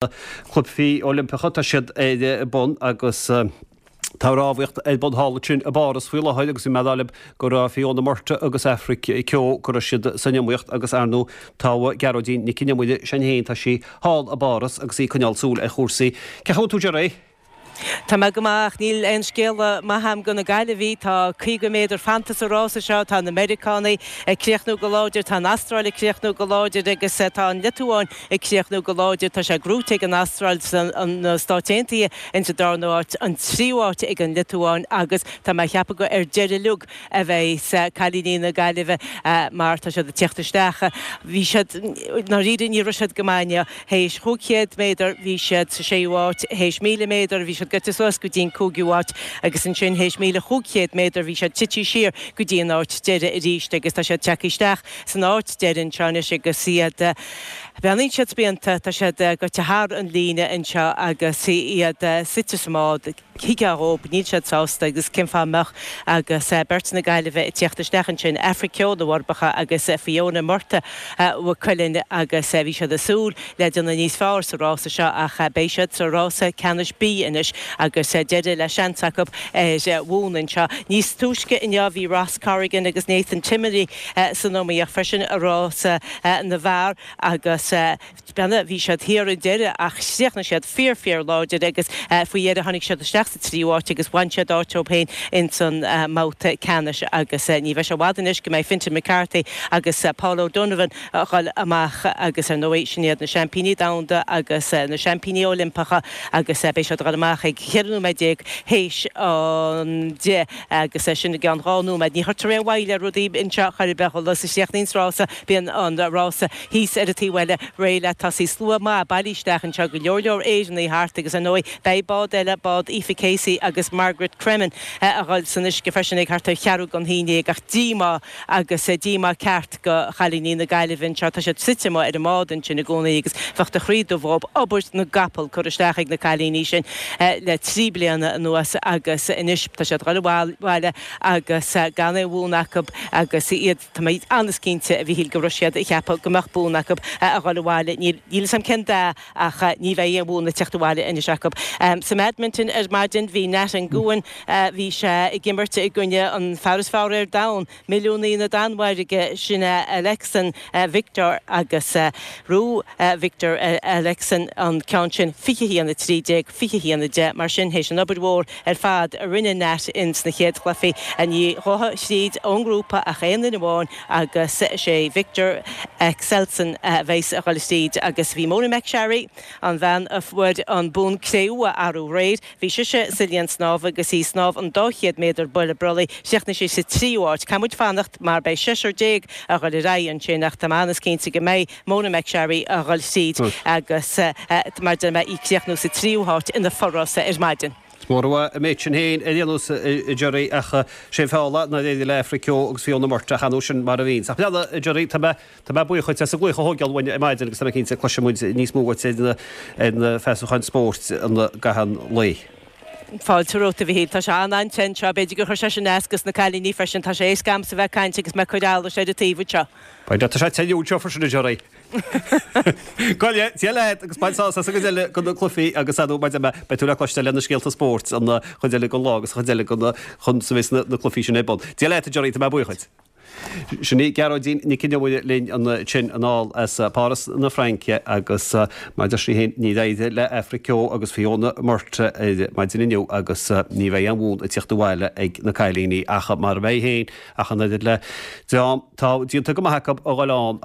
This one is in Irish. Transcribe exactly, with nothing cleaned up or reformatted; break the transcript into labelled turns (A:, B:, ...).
A: Cluichí Oilimpeacha, tá siad ar bun agus tá rámhaíocht ar bun thall ansin i bPáras faoi láthair agus bhí mé ag rá libh go raibh Fiona Murtagh agus Aifric Keogh go raibh siad san iomaíocht agus ar ndóigh tá Gearóidín Nic an Iomaire sin féin, tá sí thall i bPáras agus í ag coinneáil súil ar chúrsaí. Cén chaoi a bhfuil tú Gerry?
B: Tá mé go maith ach níl aon scéala maith agam do na Gaillimhigh. Tá caoga méadar fanta sa rása seo, tá na Meiriceánaigh ag críochnú go láidir, tá an Astráil ag críochnú go láidir agus tá an Liotuáin ag críochnú go láidir. Tá sé gnóite ag an Astráil na Stáit Aontaithe insa darna háit, an tríú háit ag an Liotuáin agus tá mé ag ceapadh gur ar deireadh uilig a bheidh cailíní na Gaillimhe mar tá siad ag tíocht isteach. Bhí siad, ndáiríre ní raibh siad go maith inniu. Théis chúig chéad méadar bhí siad sa séú háit, théis míle méadar bhí siad gaibhte suas go dtí an cúigiú háit agus ansin théis míle chúig chéad méadar bhí siad tite siar go dtí an áit deiridh arís agus tá siad tagtha isteach san áit deiridh anseo anois agus iad breathnaíonn siad spíonta, tá siad gaibhte thar an líne anseo agus iad suite sa mbád. Thuigfeá dhóibh, níl siad sásta agus cén fáth a mbeadh agus beirt na Gaillimhe ag tíocht isteach ansin, Aifric Keogh na bhForbacha agus Fiona Murtagh Mhaigh Cuilinn agus bhí siad ag súil le déanamh níos fearr sa rása seo ach beidh siad sa rása ceannais B anois agus deireadh le seans acu ar bhonn anseo. Níos túisce inniu bhí Ross Corrigan agus Nathan Timoney san iomaíocht freisin i rása na bhfear agus Beanna, bhí siad thiar ar deireadh ach chríochnaigh siad fíor fíor láidir agus faoi dheireadh tháinig siad isteach sa tríú háit agus bhain siad áit dóibh féin ins an mbabhta ceannais agus ní bheidh sé i bhfad anois go mbeidh Fintan McCarthy agus Paul O'Donovan a dhul amach agus ar ndóigh sin iad na seaimpíní domhanda agus na seaimpíní Oilimpeacha agus beidh siad a dhul amach ag ceithre nóiméad déag théis an deich agus sin i gceann dhá nóiméad. Ní chuirtear aon mhoill ar rudaí anseo chor ar bith, is a chríochnaíonns rása bíonn an rása thíos ar an taobh eile réidh le tosaí. Slua maith bailithe isteach anseo, go leor leor Éireannaigh thart agus ar ndóigh beidh bád eile, bád Aoife Casey agus Margaret Cremen a dhul san uisce freisin ag thart ar cheathrú don haon déag ach díomá agus díomá ceart do chailíní na Gaillimhe anseo. Tá siad suite amuigh ar an mbád ansin i gcónaí agus bheadh do chroí dubh dhóibh. Obair na gcapall curtha isteach ag na cailíní sin le trí bliana anuas agus anois tá siad a dhul abhaile agus gan aon bhonn acu agus iad Tá mé an-chinnte, a Mhíchíl, go raibh siad ag ceapadh go mbeadh bonn acu a dhul abhaile. Níl fhios agam cén dath ach ní bheidh aon bhonn ag teacht abhaile anois acu. Sa mbadminton ar maidin bhí Nhat Nguyen, bhí sé ag imirt i gcoinne an fear is fearr ar domhan, milliúnaí na Danmhairge, sin é Alexen Viktor agus ghnóthaigh Viktor Alexen an ceann sin fiche haon a trí déag, fiche haon a deich. Mar sin, théis an obair mhór ar fad a rinne Nhat ins na chéad chluichí, ní ghabhfaidh thríd ón ngrúpa ach aon duine amháin agus is é Viktor Axelsen a bheas a dhul tríd agus bhí Mona McSharry, an bhean a fuair an bonn cré-umha arú aréir, bhí sise sa linn snámha agus í ag snámh an dá chéad méadar buille brollaigh, chríochnaigh sí sa tríú háit. Caithfidh muid fanacht mar beidh seisear déag a dhul ar aghaidh ansin ach tá mé an-chinnte go mbeidh Mona McSharry a dhul tríd agus mar a deir mé í ag críochnú sa tríú háit ina forrása ar maidin.
A: Is mór uaidh an méid sin féin ar aon nós, a Gerry, ach sé an feall nár éirigh le Aifric Keogh agus Fiona Murtagh ach ar ndóigh sin mar a bhíonns. Ach leana, a Gerry, tá mé, tá mé buíoch dhuit as an glaoch a thógáil uainn ar maidin agus tá mé cinnte cloisfidh muid níos mó uait ar na, ar na feasacháin spóirt i gcaitheamh an lae.
B: Fáilte romhat, a Mhichíl. Tá sé an-an-te anseo. B'fhéidir gur chuir sé sin as dos na cailíní freisin. Tá sé éasca a'msa bheith ag caint agus mé ag cur allais ar an taobh anseo.
A: Tá sé te anseo freisin, a Gerry. Gabh i leith, Dia leat agus bain sásamh as an gcuid eile de na cluichí agus ar ndóigh mar a deir mé, beidh tú le cloisteáil le na scéalta spóirt an chuid eile den lá agus an chuid eile den chun sa bheas na cluichí sin ar bun. Dia leat a Gerry, tá mé buíoch dhuit. Sin í Gearóidín Nic an Iomaire linn ansin anall as Páras na Fraince agus mar a deir sí féin níor éirigh le Aifric Keogh agus Fiona Murtagh ar maidin inniu agus ní bheidh aon bhonn ag tíocht abhaile ag na cailíní ach mar a bheidh féin ach an oiread le dream tá déanta go maith acu a dhul ann